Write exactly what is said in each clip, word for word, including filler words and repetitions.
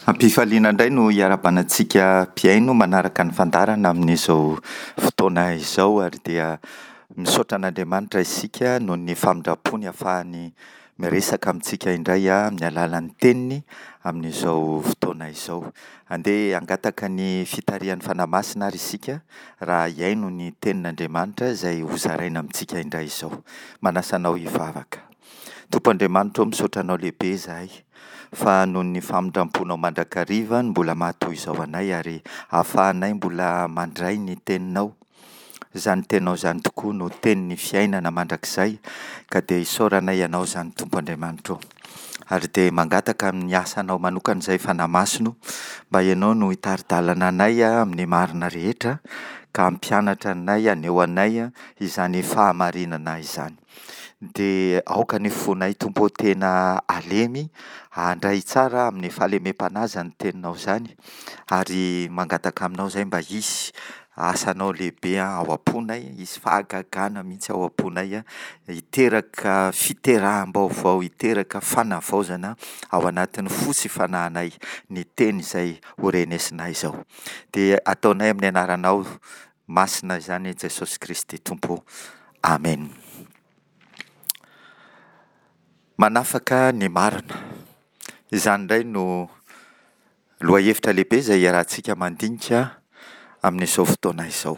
Am-pifaliana indray no hiarahabana antsika mpihaino manaraka ny fandaharana amin'izao fotoana izao ary dia misaotra an'Andriamanitra isika noho ny famindram-pony ahafahany miresaka amintsika indray amin'ny alalan'ny teniny amin'izao fotoana izao. Andeha hangataka ny fitarihan'ny Fanahy Masina ary isika raha hihaino ny tenin'Andriamanitra izay hozaraina amintsika indray izao. Manasa anao hivavaka. Tompo Andriamanitra ô, misaotra Anao lehibe izahay fa noho ny famindram-ponao mandrakariva no mbola maha toy izao anay ary ahafahanay mbola mandray ny Teninao. Izany Teninao izany tokoa no Tenin'ny fiainana mandrakizay ka dia isaoranay Ianao izany Tompo Andriamanitra ô. Ary dia mangataka amin'ny asanao manokana izay Fanahy Masina o, mba Ianao no hitari-dalana anay amin'ny marina rehetra ka hampianatra anay, haneho anay izany fahamarinana izany. Dia aoka ny fonay Tompo ô tena halemy, handray tsara amin'ny fahalemem-panahy izany teninao izany, ary mangataka aminao izay mba hisy asanao lehibe ao am-ponay, hisy fahagagana mihitsy ao am-ponay, hiteraka fiteraham-baovao, hiteraka fanavaozana ao anatin'ny fo sy fanahinay ny teny izay ho renesinay izao. Dia ataonay amin'ny anaranao masina izany Jesosy Kristy Tompo. Amen. Manafaka ny marina. Izany indray no lohahevitra lehibe izay iarahantsika mandinika amin'izao fotoana izao.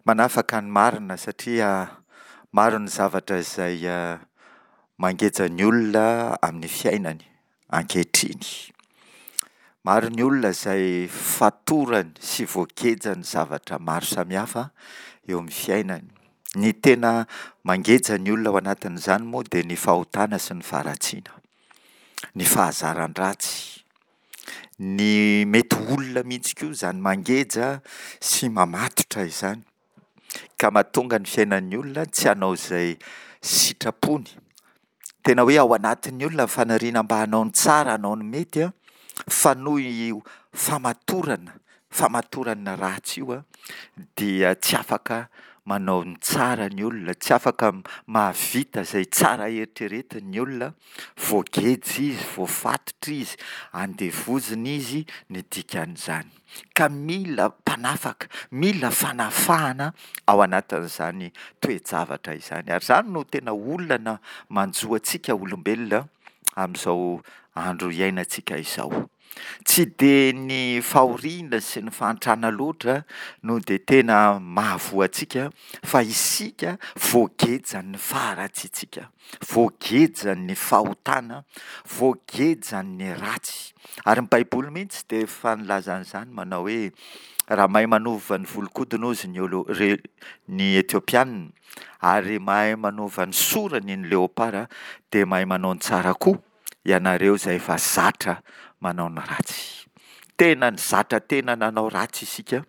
Manafaka ny marina satria maro ny zavatra izay mangeja ny olona amin'ny fiainany ankehitriny. Maro ny olona izay fatorany sy voagejan'ny zavatra maro samihafa eo amin'ny fiainany. Ny tena mangeja ny olona ao anatin'izany moa dia ny fahotana sy ny faharatsiana, ny fahazaran-dratsy, ny mety ho olona mihitsy koa izany mangeja sy mamatotra izany ka mahatonga ny fiainan'ny olona tsy hanao izay sitrapony. Tena hoe ao anatin'ny olona ny faniriana mba hanao ny tsara, hanao ny mety, fa noho io famatorana, famatorana ratsy io dia tsy afaka manao ny tsara ny olona, tsy afaka mahavita izay tsara eritreretiny ny olona, voageja izy, voafatotra izy, andevozina izy ny dikan'izany. Ka mila mpanafaka, mila fanafahana ao anatin'izany toe-javatra izany. Ary izany no tena olana manjo antsika olombelona amin'izao andro iainantsika izao. Tsy dia ny fahoriana sy ny fahantrana loatra no dia tena mahavoa antsika fa isika voagejan'ny faharatsiantsika, voagejan'ny fahotana, voagejan'ny ratsy. Ary ny Baiboly mihitsy dia efa nilaza an'izany manao hoe raha mahay manova ny volon-kodiny hozy ny olo- re- ny Etiopianina ary mahay manova ny sorany ny leopara dia mahay manao ny tsara koa ianareo izay efa zatra manao ny ratsy. Tena nizatra tena nanao ratsy isika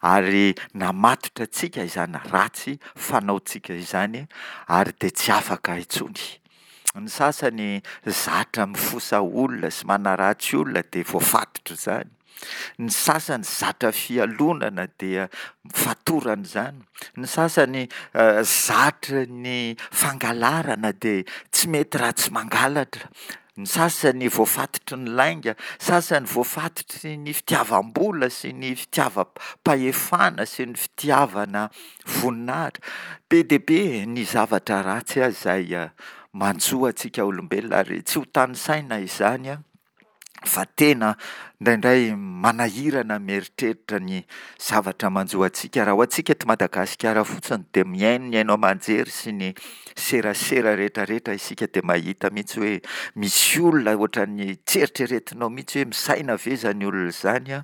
ary namatotra antsika izany ratsy fanaontsika izany ary dia tsy afaka intsony. Ny sasany zatra mifosa olona sy manaratsy olona dia voafatotra izany. Ny sasany zatra fialonana dia fatorana izany. Ny sasany zatra ny fangalarana dia tsy mety raha tsy mangalatra. Ny sasany voafatotry ny lainga, sasany voafatotry ny fitiavam-bola sy ny fitiavam-pahefana sy ny fitiavana voninahitra. Be dia be ny zavatra ratsy izay manjo antsika olombelona ary tsy ho tanisaina izany fa tena indraindray manahirana mieritreritra ny zavatra manjo antsika. Raha ho antsika eto Madagasikara fotsiny dia mihaino ny haino aman-jery sy ny serasera rehetrarehetra isika dia mahita mihitsy hoe misy olona ohatran'ny tsy eritreretinao mihitsy hoe misaina ve izany olona izany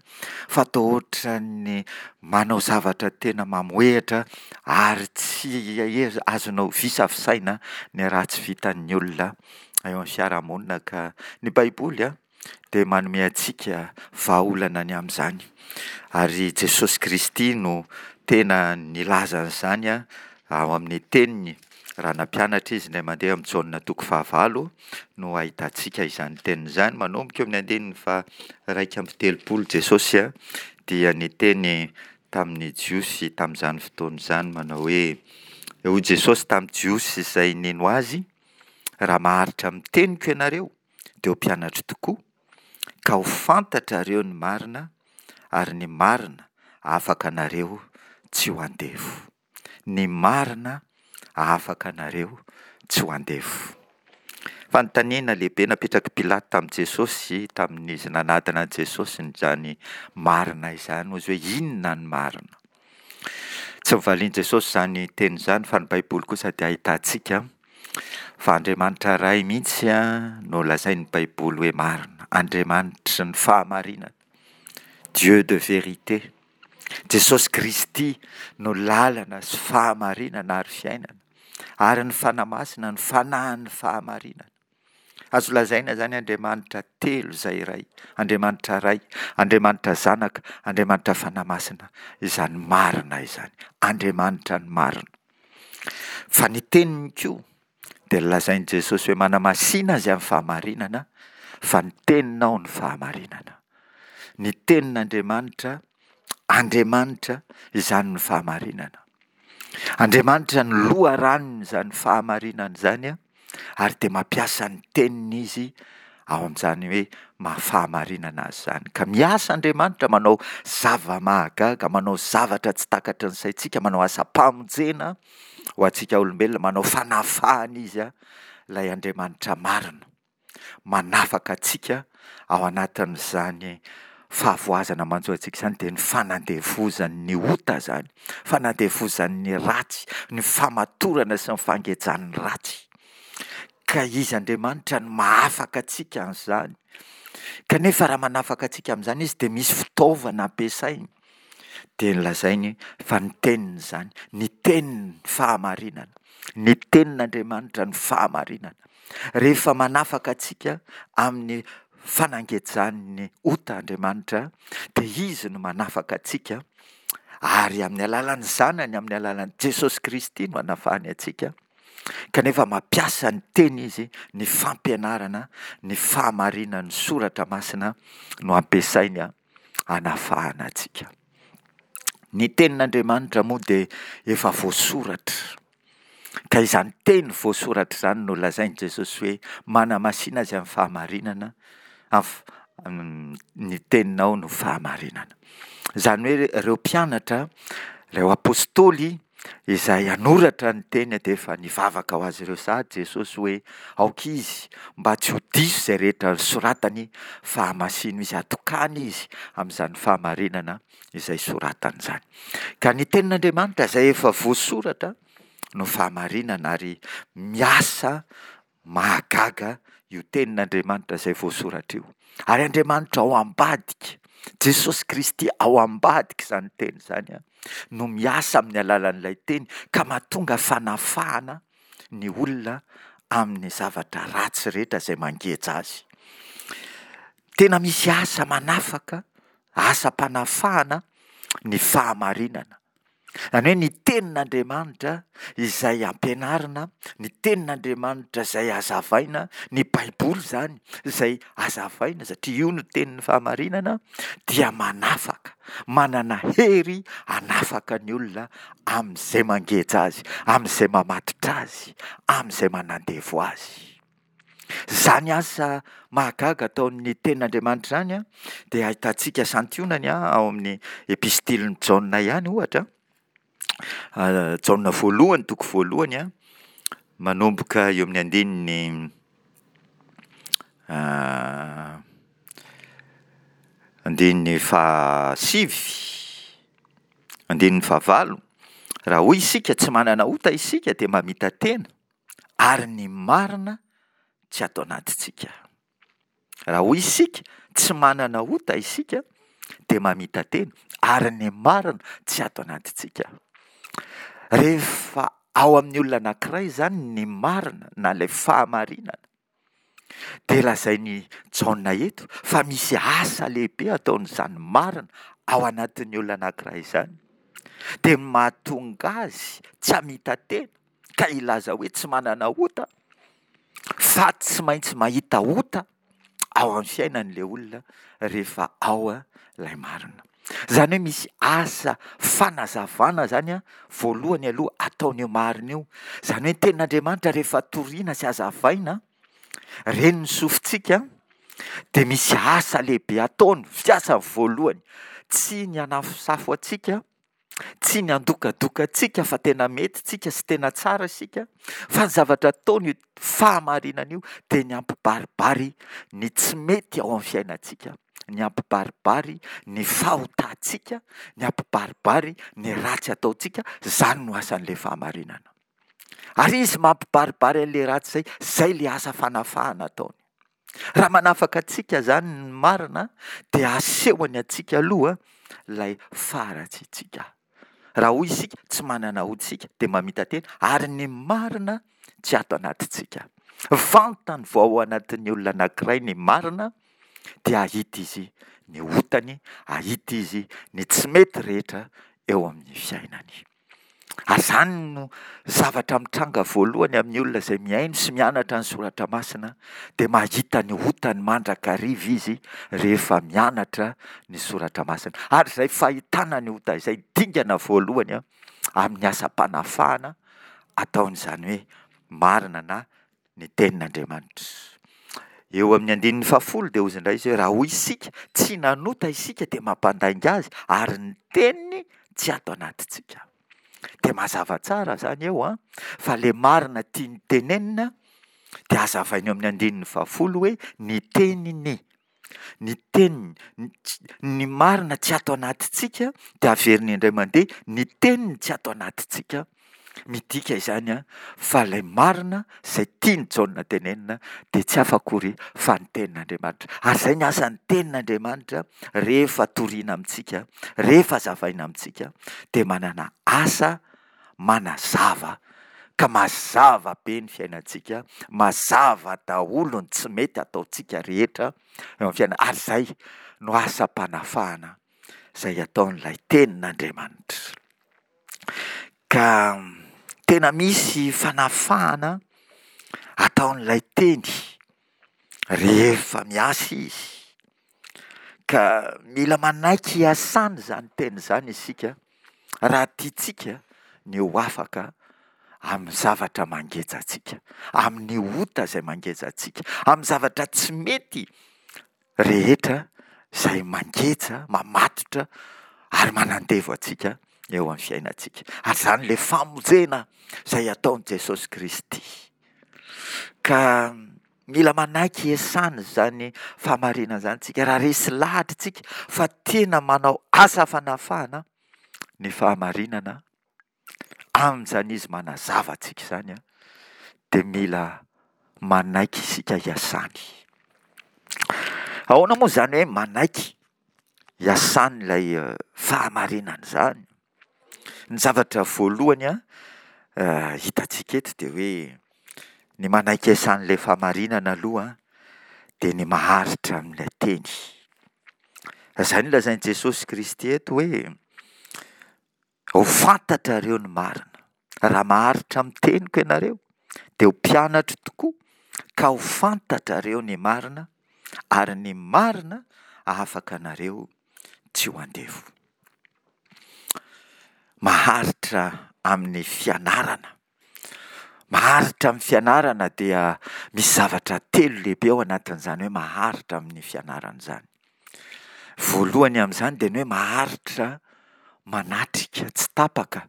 fa toa ohatran'ny manao zavatra tena mamohehatra ary tsy azonao visavisaina ny ratsy vitan'ny olona eo amin'ny fiarahamonina ka ny Baiboly a dia manome antsika vahaolana ny amin'izany. Ary Jesosy Kristy no tena nilaza an'izany ao amin'ny teniny raha nampianatra izy indray mandeha amin'ny Jaona toko fahavalo no ahitantsika izany teniny izany. Manomboka eo amin'ny andininy faha-iraika amby telopolo Jesosy dia niteny tamin'ny Jiosy tamin'izany fotoana izany manao hoe, hoy Jesosy tamin'ny Jiosy izay nino azy, raha maharitra amin'ny teniko ianareo dia ho mpianatro tokoa, ka ho fantatrareo ny marina, ary ny marina hahafaka anareo tsy ho andevo. Ny marina hahafaka anareo tsy ho andevo. Fanontaniana lehibe napetrak'i Pilato tamin'i Jesosy tamin'izy nanadina an'i Jesosy izany marina izany, hoy izy hoe inona ny marina? Tsy novalian'i Jesosy izany teny izany fa ny Baiboly kosa dia ahitantsika fa Andriamanitra Ray mihitsy no lazain'ny Baiboly hoe marina, Andriamanitry ny fahamarinana, Dieu de vérité. Jesosy Kristy no lalana sy fahamarinana ary fiainana, ary ny Fanahy Masina no fanahin'ny fahamarinana. Azo lazaina izany Andriamanitra telo izay iray, Andriamanitra Ray, Andriamanitra Zanaka, Andriamanitra Fanahy Masina, izany marina izany, Andriamanitra ny marina. Fa ny teniny koa dia lazain'i Jesosy hoe manamasina azy amin'ny fahamarinana, fa ny teninao no fahamarinana. Ny tenin'Andriamanitra, Andriamanitra, izany no fahamarinana. Andriamanitra no loharanon'izany fahamarinana izany, ary dia mampiasa ny teniny izy ao amin'izany hoe maha fahamarinana azy izany. Ka miasa Andriamanitra manao zava-mahagaga, manao zavatra tsy takatry ny saintsika, manao asam-pamonjena ho antsika olombelona, manao fanafahana izy, ilay Andriamanitra marina. Manafaka antsika ao anatin'izany fahavoazana manjo antsika izany, dia ny fanandevozan'ny ota izany, fanandevozan'ny ratsy, ny famatorana sy ny fangejan'ny ratsy. Ka izy Andriamanitra no mahafaka antsika amin'izany. Kanefa raha manafaka antsika amin'izany izy dia misy fitaovana ampiasainy. Dia nolazainy fa ny teniny izany, ny tenin'ny fahamarinana, ny tenin'Andriamanitra ny fahamarinana. Rehefa manafaka antsika amin'ny fanangejan'ny ota Andriamanitra, dia izy no manafaka antsika, ary amin'ny alalan'ny Zanany, amin'ny alalan'i Jesosy Kristy no anafahany antsika. Kanefa mampiasa ny teny izy, ny fampianarana, ny fahamarinan'ny soratra masina no ampiasainy hanafahana antsika. Ny tenin'Andriamanitra moa dia efa voasoratra, ka izany teny voasoratra izany no lazain'i Jesosy hoe manamasina azy amin'ny fahamarinana, ny teninao no fahamarinana. Izany hoe ireo mpianatra, ireo apostoly izay hanoratra ny teny dia efa nivavaka ho azy ireo sahady Jesosy hoe aoka izy mba tsy ho diso izay rehetra soratany fa hamasino izy, atokany izy amin'izany fahamarinana izay soratany izany. Ka ny tenin'Andriamanitra izay efa voasoratra no fahamarinana ary miasa mahagaga io tenin'Andriamanitra izay voasoratra io. Ary Andriamanitra ao ambadika, Jesosy Kristy ao ambadika izany teny izany no miasa amin'ny alalan'ilay teny ka mahatonga fanafahana ny olona amin'ny zavatra ratsy rehetra izay mangeja azy. Tena misy asa manafaka, asam-panafahana ny fahamarinana. Izany hoe ny tenin'Andriamanitra izay ampianarina, ny tenin'Andriamanitra izay hazavaina, ny Baiboly izany izay hazavaina satria io no tenin'ny fahamarinana dia manafaka, manana hery hanafaka ny olona amin'izay mangeja azy, amin'izay mamatotra azy, amin'izay manandevo azy. Izany asa mahagaga ataon'ny tenin'Andriamanitra izany dia ahitantsika santionany ao amin'ny epistilin'i Jaona ihany ohatra. Jaona voalohany, toko voalohany, manomboka eo amin'ny andininy andininy fahasivy, andininy fahavalo. Raha hoy isika tsy manana ota isika dia mamita-tena, ary ny marina tsy ato anatintsika. Raha hoy isika tsy manana ota isika dia mamita-tena, ary ny marina tsy ato anatintsika. Rehefa ao amin'ny olona anankiray izany ny marina na ilay fahamarinana, dia lazain'i Jaona eto fa misy asa lehibe ataon'izany marina ao anatin'ny olona anankiray izany, dia mahatonga azy tsy hamita-tena ka hilaza hoe tsy manana ota, fa tsy maintsy mahita ota ao amin'ny fiainan'ilay olona rehefa ao ilay marina. Izany hoe misy asa fanazavana izany voalohany aloha ataon'io marina io. Izany hoe ny tenin'Andriamanitra rehefa toriana sy hazavaina, ren'ny sofintsika dia misy asa lehibe ataony, fiasany voalohany, tsy ny hanafosafo antsika, tsy ny handokadoka antsika fa tena mety tsika sy tena tsara isika, fa ny zavatra ataony io fahamarinana io dia ny hampibaribary ny tsy mety ao amin'ny fiainantsika, ny hampibaribary ny fahotantsika, ny hampibaribary ny ratsy ataontsika, izany no asan'ilay fahamarinana. Ary izy mampibaribary an'ilay ratsy izay, izay ilay asa fanafahana ataony. Raha manafaka antsika izany ny marina dia asehony antsika aloha ilay faharatsiantsika. Raha hoy isika tsy manana ota isika dia mamita-tena ary ny marina tsy ato anatintsika. Vantany vao ao anatin'ny olona anankiray ny marina dia hahita izy ny otany, hahita izy ny tsy mety rehetra eo amin'ny fiainany. Ary izany no zavatra mitranga voalohany amin'ny olona izay mihaino sy mianatra ny soratra masina dia mahita ny otany mandrakariva izy rehefa mianatra ny soratra masina. Ary izay fahitana ny ota izay dingana voalohany amin'ny asam-panafahana ataon'izany hoe marina na ny tenin'Andriamanitra. Eo amin'ny andininy fahafolo dia hozy indray izy hoe raha hoy isika tsy nanota isika dia mampandainga azy ary ny teniny tsy ato anatintsika. Dia mazava tsara izany eo an, fa ilay marina tiany tenenina dia hazavainy eo amin'ny andininy fahafolo hoe ny teniny. Ny teniny, ny marina tsy ato anatintsika dia averiny indray mandeha ny teniny tsy ato anatintsika. Midika izany an, fa ilay marina izay tian'i Jaona tenenina dia tsy hafa akory fa ny tenin'Andriamanitra. Ary izay ny asan'ny tenin'Andriamanitra rehefa torina amintsika, rehefa hazavaina amintsika dia manana asa manazava ka mazava be ny fiainantsika, mazava daholo ny tsy mety ataontsika rehetra eo amin'ny fiainana. Ary izay no asam-panafahana izay ataon'ilay tenin'Andriamanitra. Ka tena misy fanafahana ataon'ilay teny rehefa miasa izy. Ka mila manaiky hiasana izany teny izany isika raha tiantsika ny ho afaka amin'ny zavatra mangeja antsika, amin'ny ota izay mangeja antsika, amin'ny zavatra tsy mety rehetra izay mangeja, mamatotra ary manandevo antsika eo amin'ny fiainantsika. Ary izany ilay famonjena izay ataon'i Jesosy Kristy. Ka mila manaiky hiasana izany fahamarinana izany tsika raha resy lahatra isika fa tena manao asa fanafahana ny fahamarinana amin'izany izy manazava antsika izany an, dia mila manaiky isika hiasany. Ahoana moa izany hoe manaiky hiasany ilay fahamarinana izany? Ny zavatra voalohany an, hitantsika eto dia hoe ny manaiky hiasan'ilay fahamarinana aloha dia ny maharitra amin'ilay teny. Izay no lazain'i Jesosy Kristy eto hoe ho fantatrareo ny marina. Raha maharitra amin'ny teniko ianareo dia ho mpianatro tokoa ka ho fantatrareo ny marina ary ny marina hahafaka anareo tsy ho andevo. Maharitra amin'ny fianarana. Maharitra amin'ny fianarana dia misy zavatra telo lehibe ao anatin'izany hoe maharitra amin'ny fianarana izany. Voalohany amin'izany dia ny hoe maharitra manatrika tsy tapaka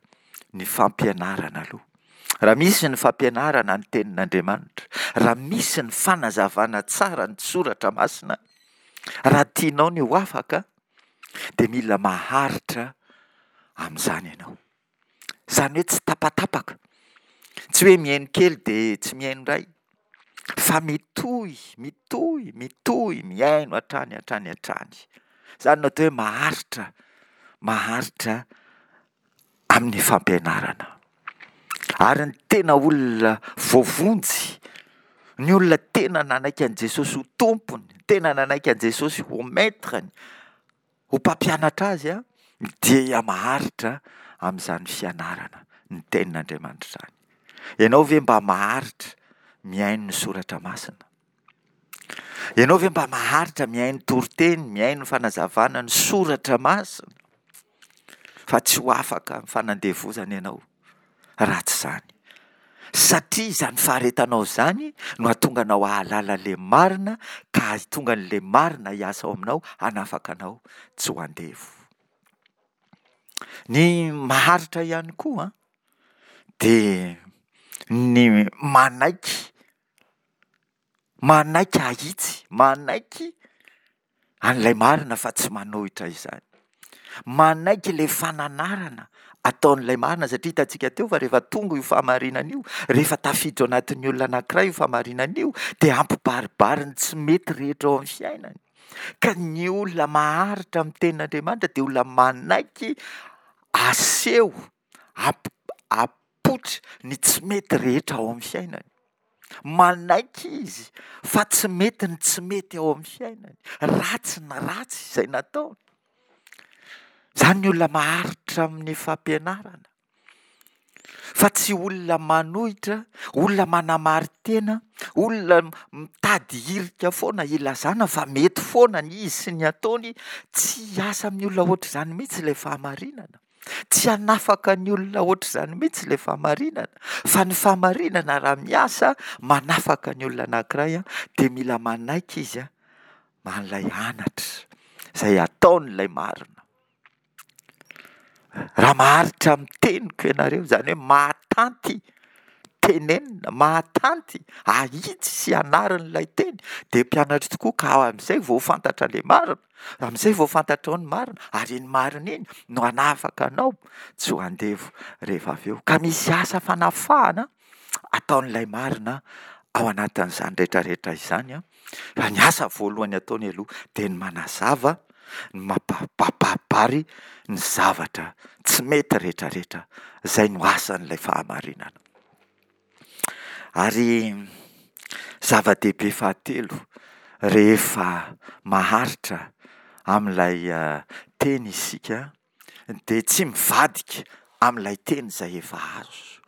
ny fampianarana aloha. Raha misy ny fampianarana ny tenin'Andriamanitra, raha misy ny fanazavana tsara ny soratra masina, raha tianao ny ho afaka dia mila maharitra amin'izany ianao. Izany hoe tsy tapatapaka, tsy hoe mihaino kely dia tsy mihaino indray, fa mitohy, mitohy, mitohy mihaino hatrany hatrany hatrany. Izany no atao hoe maharitra, maharitra amin'ny fampianarana. Ary ny tena olona voavonjy, ny olona tena nanaiky an'i Jesosy ho tompony, tena nanaiky an'i Jesosy ho maître-ny, ho mpampianatra azy dia maharitra amin'izany fianarana ny tenin'Andriamanitra izany. Ianao ve mba maharitra mihaino ny soratra masina? Ianao ve mba maharitra mihaino toriteny, mihaino fanazavana ny soratra masina? Fa tsy ho afaka amin'ny fanandevozana ianao raha tsy izany. Satria izany faharetanao izany no hahatonga anao hahalala ilay marina ka hahatonga an'ilay marina hiasa ao aminao hanafaka anao tsy ho andevo. Ny maharitra ihany koa an, dia ny manaiky, manaiky ahitsy, manaiky an'ilay marina fa tsy manohitra izany. Manaiky ilay fananarana ataon'ilay marina satria hitantsika teo fa rehefa tonga io fahamarinana io, rehefa tafiditra ao anatin'ny olona anankiray io fahamarinana io, dia hampibaribary ny tsy mety rehetra ao amin'ny fiainany. Ka ny olona maharitra amin'ny tenin'Andriamanitra dia olona manaiky aseho, ap- apoitra ny tsy mety rehetra ao amin'ny fiainany. Manaiky izy fa tsy mety ny tsy mety ao amin'ny fiainany, ratsy ny ratsy izay nataony. Izany ny olona maharitra amin'ny fampianarana, fa tsy olona manohitra, olona manamarin-tena, olona mitady hirika foana hilazana fa mety foana ny izy sy ny ataony. Tsy hiasa amin'ny olona ohatr'izany mihitsy ilay fahamarinana. Tsy hanafaka ny olona ohatr'izany mihitsy ilay fahamarinana. Fa ny fahamarinana raha miasa manafaka ny olona anankiray dia mila manaiky izy an'ilay anatra izay ataon'ilay marina. Raha maharitra amin'ny teniko ianareo, izany hoe mahatanty tenenina, mahatanty ahitsy sy anarin'ilay teny, dia mpianatro tokoa ka amin'izay vao ho fantatra ilay marina, amin'izay vao fantatrao ny marina, ary iny marina iny no hanafaka anao tsy ho andevo rehefa avy eo. Ka misy asa fanafahana ataon'ilay marina ao anatin'izany rehetra rehetra izany an, fa ny asa voalohany ataony aloha dia ny manazava, ny mampabaribary ny zavatra tsy mety rehetra rehetra, izay no asan'ilay fahamarinana. Ary zava-dehibe fahatelo, rehefa maharitra amin'ilay teny isika dia tsy mivadika amin'ilay teny izay efa azo.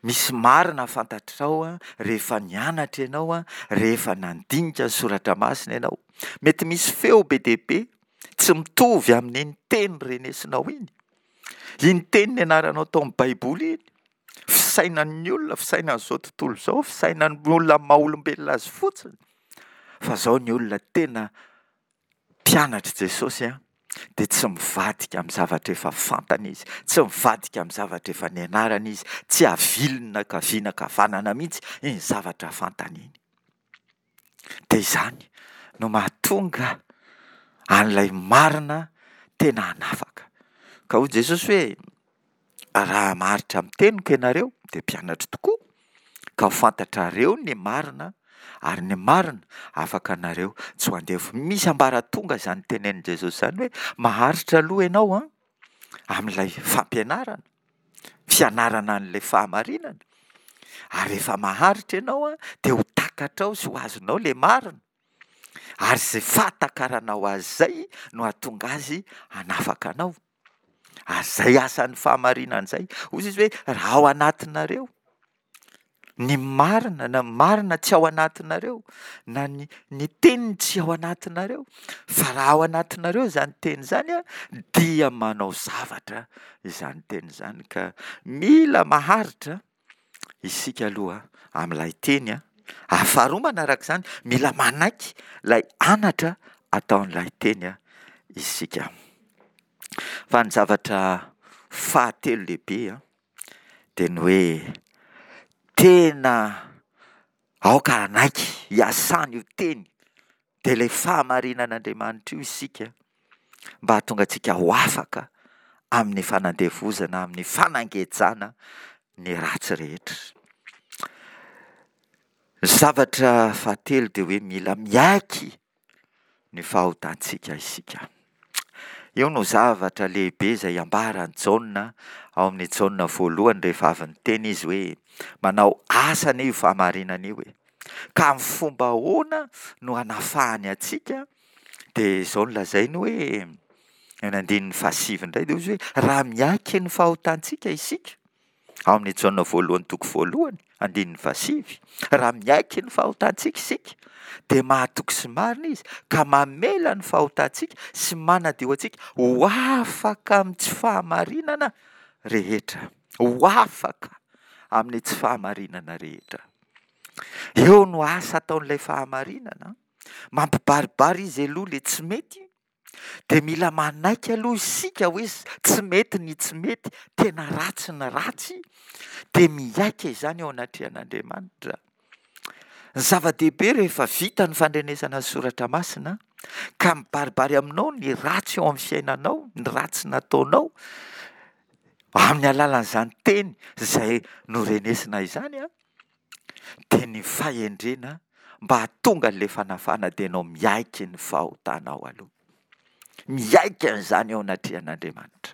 Misy marina fantatrao rehefa nianatra ianao, rehefa nandinika ny soratra masina ianao. Mety misy feo be dia be tsy mitovy amin'iny teny renesinao iny. Iny teny nianaranao tao amin'ny Baiboly iny, fisainan'ny olona, fisainan'izao tontolo izao, fisainan'ny olona amin'ny maha-olombelona azy fotsiny. Fa izao ny olona tena mpianatr'i Jesosy an, dia tsy mivadika amin'ny zavatra efa fantany izy, tsy mivadika amin'ny zavatra efa nianarany izy, tsy aviliny na ankavia na ankavanana mihitsy iny zavatra fantany iny. Dia izany no mahatonga an'ilay marina tena hanafaka. Ka hoy Jesosy hoe, raha maharitra amin'ny teniko ianareo, dia mpianatro tokoa, ka ho fantatrareo ny marina, ary ny marina afaka anareo tsy ho andevo. Misy ambaratonga izany tenenin'i Jesosy izany hoe maharitra aloha ianao an, amin'ilay fampianarana, fianarana an'ilay fahamarinana, ary rehefa maharitra ianao an, dia ho takatrao sy ho azonao ilay marina, ary izay fahatakaranao azy izay no hahatonga azy hanafaka anao. Ary izay asan'ny fahamarinana izay. Hoy izy hoe raha ao anatinareo ny marina, na marina tsy ao anatinareo, na ny, ny teniny tsy ao anatinareo, fa raha ao anatinareo izany teny izany an, dia manao zavatra izany teny izany. Ka mila maharitra isika aloha amin'ilay teny an. Ary faharoa manaraka izany, mila manaiky ilay anatra ataon'ilay teny an isika. Fa ny zavatra fahatelo lehibe an, dia ny hoe tena aoka hanaiky hiasana io teny, dia ilay fahamarinan'Andriamanitra io isika, mba hahatonga antsika ho afaka amin'ny fanandevozana, amin'ny fanangejana ny ratsy rehetra. Ny zavatra fahatelo dia hoe mila miaiky ny fahotantsika isika. Io no zavatra lehibe izay ambaran'i Jaona ao amin'ny Jaona voalohany rehefa avy niteny izy hoe manao asa anie io fahamarinana io e. Ka amin'ny fomba ahoana no hanafahany antsika? Dia izao no lazainy hoe, any andininy fahasivy indray dia hoy izy hoe raha miaiky ny fahotantsika isika, ao amin'ny Jaona voalohany toko voalohany, andininy fahasivy, raha miaiky ny fahotantsika isika, dia mahatoky sy marina izy ka mamela ny fahotantsika sy manadio antsika ho afaka amin'ny tsy fahamarinana rehetra. Ho afaka amin'ny tsy fahamarinana rehetra. Eo no asa ataon'ilay fahamarinana, mampibaribary izy aloha ilay tsy mety, dia mila manaiky aloha isika hoe tsy mety ny tsy mety, tena ratsy ny ratsy, dia miaiky izany eo anatrehan'Andriamanitra. Ny zava-dehibe rehefa vita ny fandrenesana ny soratra masina ka mibaribary aminao ny ratsy eo amin'ny fiainanao, ny ratsy nataonao, amin'ny alalan'izany teny izay norenesina izany an, dia ny fahendrena mba hahatonga an'ilay fanafahana dia ianao miaiky ny fahotanao aloha. Miaiky an'izany eo anatrehan'Andriamanitra.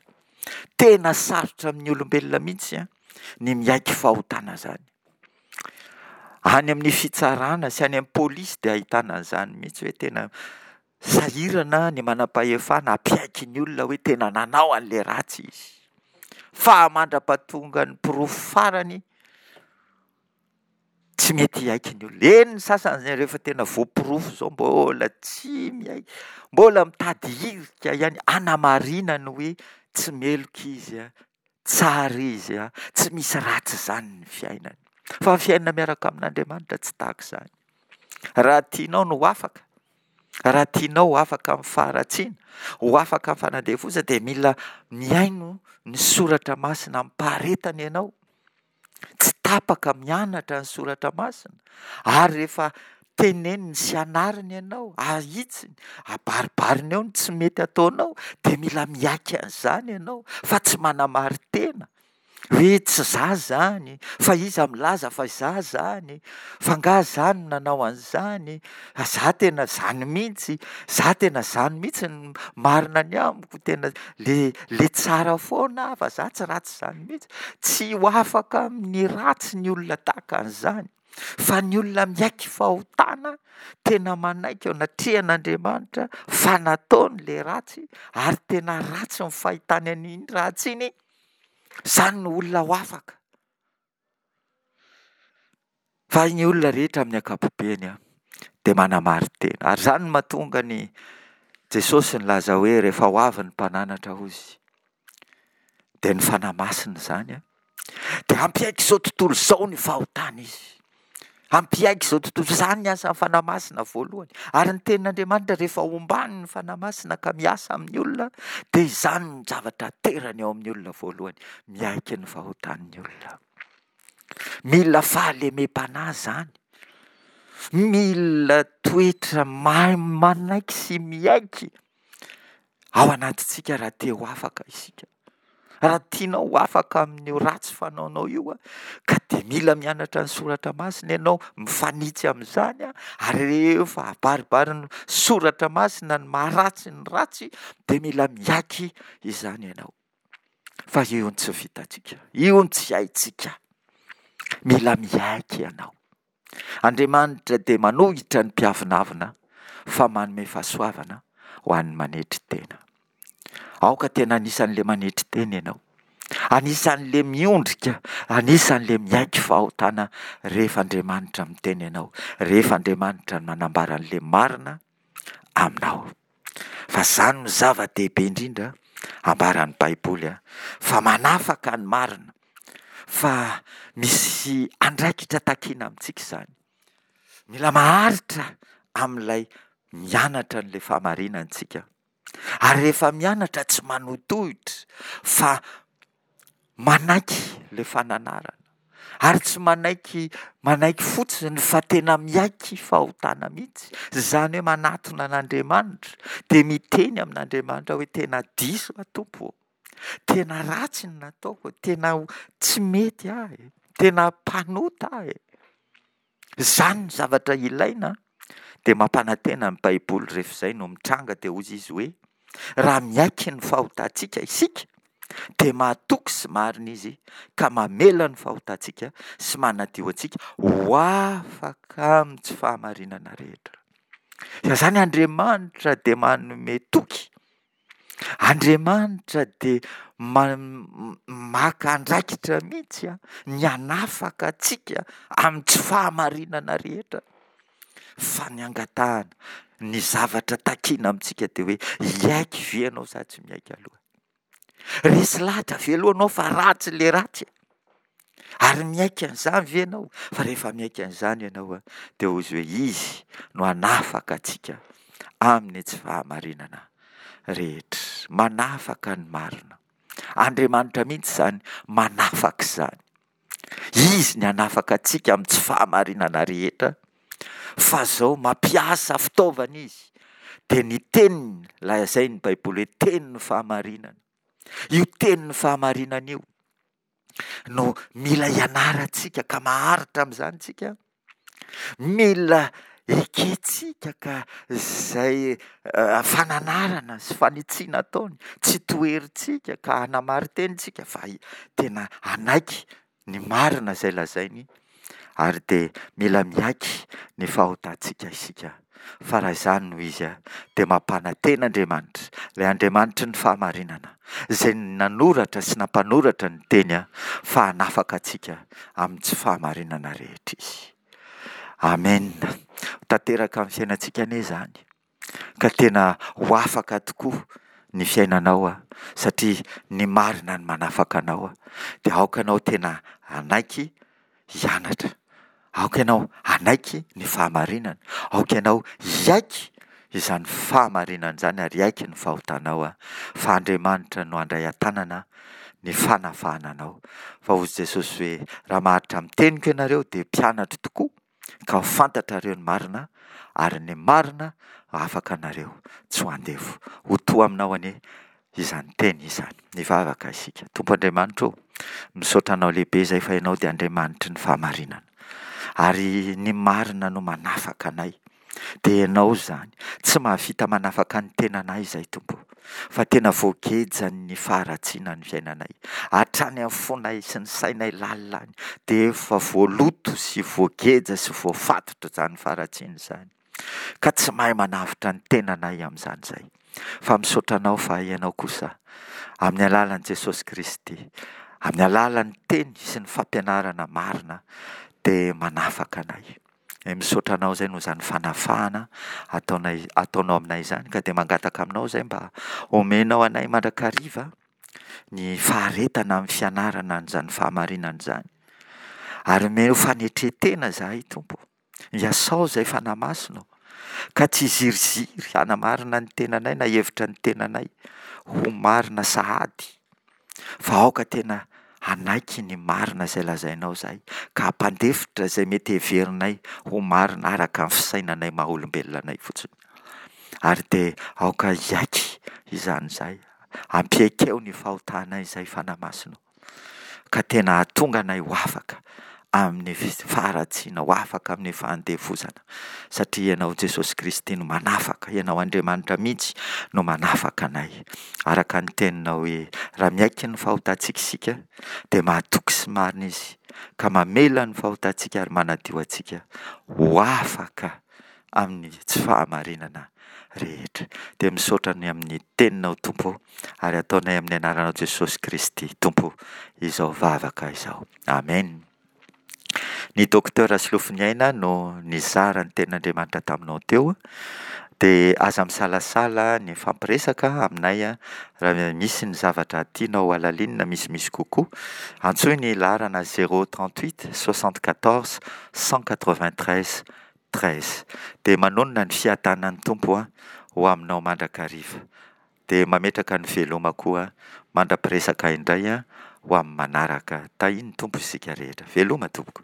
Tena sarotra amin'ny olombelona mihitsy an, ny miaiky fahotana izany. Any amin'ny fitsarana sy any amin'ny polisy dia ahitana an'izany mihitsy hoe tena sahirana ny manam-pahefana hampiaiky ny olona hoe tena nanao an'ilay ratsy izy. Fa mandra-pahatonga ny porofo farany, tsy mety hiaiky ny olona. Eny ny sasany izay rehefa tena voaporofo izao mbola tsy miaiky, mbola mitady hirika ihany hanamarinany hoe tsy meloka izy, tsara izy, tsy misy ratsy izany ny fiainany. Fa ny fiainana miaraka amin'Andriamanitra tsy tahaka izany. Raha tianao ny ho afaka, raha tianao ho afaka amin'ny faharatsiana, ho afaka amin'ny fanandevozana dia mila mihaino ny soratra masina amim-paharetana ianao. Tsy tapaka mianatra ny soratra masina ary rehefa teneniny sy anariny ianao, ahitsiny, abaribariny eo ny tsy mety ataonao dia mila miaiky an'izany ianao fa tsy manamarin-tena hoe tsy za zany, fa iza milaza fa za zany, fa angaha za no nanao an'izany, fa za tena zany mihitsy, za tena zany mihitsy no marina ny amiko, tena le le tsara foana aho fa za tsy ratsy zany mihitsy. Tsy ho afaka amin'ny ratsy ny olona tahaka an'izany, fa ny olona miaiky fahotana, tena manaiky eo anatrehan'Andriamanitra fa nataony le ratsy ary tena ratsy ny fahitany an'iny ratsy iny, izany no olona ho afaka. Fa ny olona rehetra amin'ny ankapobeny dia manamarin-tena. Ary izany no mahatonga ny Jesosy nilaza hoe rehefa ho avy ny mpananatra hozy, dia ny Fanahy Masina izany an, dia hampiaiky izao tontolo izao ny fahotana izy. Hampiaiky izao tontolo izao. Izany ny asan'ny Fanahy Masina voalohany. Ary ny tenin'Andriamanitra rehefa ombany ny Fanahy Masina ka miasa amin'ny olona, dia izany ny zavatra aterany ao amin'ny olona voalohany. Miaiky ny fahotan'ny olona. Mila fahalemem-panahy izany. Mila toetra mahay manaiky sy miaiky ao anatintsika raha te ho afaka isika. Raha tianao ho afaka amin'io ratsy fanaonao io, ka dia mila mianatra ny soratra masina ianao, mifanitsy amin'izany, ary rehefa abaribarin'ny soratra masina ny maharatsy ny ratsy, dia mila miaiky izany ianao. Fa io no tsy vitantsika, io no tsy haintsika. Mila miaiky ianao. Andriamanitra dia manohitra ny mpiavonavona fa manome fahasoavana ho an'ny manetry tena. Aoka tena anisan'ilay manetry tena ianao. Anisan'ilay miondrika, anisan'ilay miaiky fahotana rehefa Andriamanitra miteny anao, rehefa Andriamanitra manambara an'ilay marina aminao. Fa izany no zava-dehibe indrindra ambaran'ny Baiboly fa manafaka ny marina, fa misy andraikitra takina amintsika izany. Mila maharitra amin'ilay mianatra an'ilay fahamarinana isika. Ary rehefa mianatra tsy manotohitra fa manaiky ilay fananarana. Ary tsy manaiky manaiky fotsiny fa tena miaiky fahotana mihitsy. Izany hoe manatona an'Andriamanitra dia miteny amin'Andriamanitra hoe tena diso aho Tompo ô. Tena ratsy ny nataoko, tena tsy mety aho e, tena mpanota aho e. Izany ny zavatra ilaina dia mampanantena ny Baiboly rehefa izay no mitranga dia hoy izy hoe raha miaiky ny fahotantsika isika dia mahatoky sy marina izy ka mamela ny fahotantsika sy manadio antsika ho afaka amin'ny tsy fahamarinana rehetra. Fa izany Andriamanitra dia manome toky Andriamanitra dia maka andraikitra mihitsy ny hanafaka antsika amin'ny tsy fahamarinana rehetra. Fa ny angatahana, ny zavatra takina amintsika dia hoe hiaiky ve ianao sa tsy miaiky aloha? Resy lahatra ve aloha ianao fa ratsy ilay ratsy? Ary miaiky an'izany ve ianao? Fa rehefa miaiky an'izany ianao an, dia hoy izy hoe Izy no hanafaka antsika amin'ny tsy fahamarinana rehetra. Manafaka ny marina. Andriamanitra mihitsy izany manafaka izany. Izy ny hanafaka antsika amin'ny tsy fahamarinana rehetra, fa izao mampiasa fitaovana Izy, dia ny teniny, lazain'ny Baiboly hoe tenin'ny fahamarinana. Io tenin'ny fahamarinana io no mila ianarantsika ka maharitra amin'izany tsika. Mila ekentsika ka izay fananarana sy fanitsiana ataony, tsy toherintsika ka hanamarin-teny tsika fa tena hanaiky ny marina izay lazainy ary dia mila miaiky ny fahotantsika isika. Fa raha izany no izy dia mampanantena Andriamanitra, ilay Andriamanitry ny fahamarinana, izay nanoratra sy nampanoratra ny teny fa hanafaka antsika amin'ny tsy fahamarinana rehetra Izy. Amen. Ho tanteraka amin'ny fiainantsika anie izany, ka tena ho afaka tokoa ny fiainanao satria ny marina no manafaka anao. Dia aoka ianao tena hanaiky hianatra. Aoka ianao hanaiky ny fahamarinana. Aoka ianao hiaiky izany fahamarinana izany ary hiaiky ny fahotanao fa Andriamanitra no handray an-tanana ny fanafahana anao. Fa hoy Jesosy hoe, raha maharitra amin'ny teniko ianareo dia mpianatro tokoa ka ho fantatrareo ny marina ary ny marina afaka anareo tsy ho andevo. Ho to aminao anie izany teny izany. Mivavaka isika. Tompo Andriamanitra ô, misaotra anao lehibe izay fa ianao dia Andriamanitry ny fahamarinana. Ary ny marina no manafaka anay. Dia ianao izany. Tsy mahavita manafaka ny tenanay izay Tompo. Fa tena voagejan'ny faharatsiana ny fiainanay. Hatrany amin'ny fonay sy ny sainay lalina any dia efa voaloto sy voageja sy voafatotra izany faharatsiana izany. Ka tsy mahay manavotra ny tenanay amin'izany izay. Fa misaotra anao fa ianao kosa amin'ny alalan'i Jesosy Kristy, amin'ny alalan'ny teny sy ny fampianarana marina dia manafaka anay. E, misaotra anao izay noho izany fanafahana ataonay, ataonao aminay izany, ka dia mangataka aminao izay mba omenao anay mandrakariva ny faharetana amin'ny fianarana an'izany fahamarinana izany. Ary omeo fanetren-tena izahay Tompo. Iasao izay Fanahy Masina ô, ka tsy hiziriziry hanamarina ny tenanay na hevitra ny tenanay ho marina sahady, fa aoka tena hanaiky ny marina izay lazainao izahay, ka hampandefitra izay mety heverinay ho marina araka ny fisainanay maha olombelona anay fotsiny. Ary dia aoka hiaiky izany izahay, ampiaikeo ny fahotanay izay Fanahy Masina ô, ka tena hahatonga anay ho afaka amin'ny faharatsiana, ho afaka amin'ny fahandevozana, satria Ianao Jesosy Kristy no manafaka, Ianao Andriamanitra mihitsy no manafaka anay. Araka ny teninao hoe, raha miaiky ny fahotantsika isika, dia mahatoky sy marina Izy, ka mamela ny fahotantsika ary manadio antsika ho afaka amin'ny tsy fahamarinana rehetra. Dia misaotra ny amin'ny teninao Tompo, ary ataonay amin'ny anaranao Jesosy Kristy Tompo izao vavaka izao. Amen. Ny Docteur Solofoniaina no nizara ny tenin'Andriamanitra taminao teo. Dia aza misalasala ny mifampiresaka aminay raha misy ny zavatra tianao halalinina misimisy kokoa. Antsoy ny laharana zéro trente-huit soixante-quatorze cent quatre-vingt-treize treize. Dia manonona ny fiadanan'ny Tompo ho aminao mandrakariva. Dia mametraka ny veloma koa mandra-piresaka indray ho amin'ny manaraka. Tahian'ny Tompo isika rehetra. Veloma tompoko.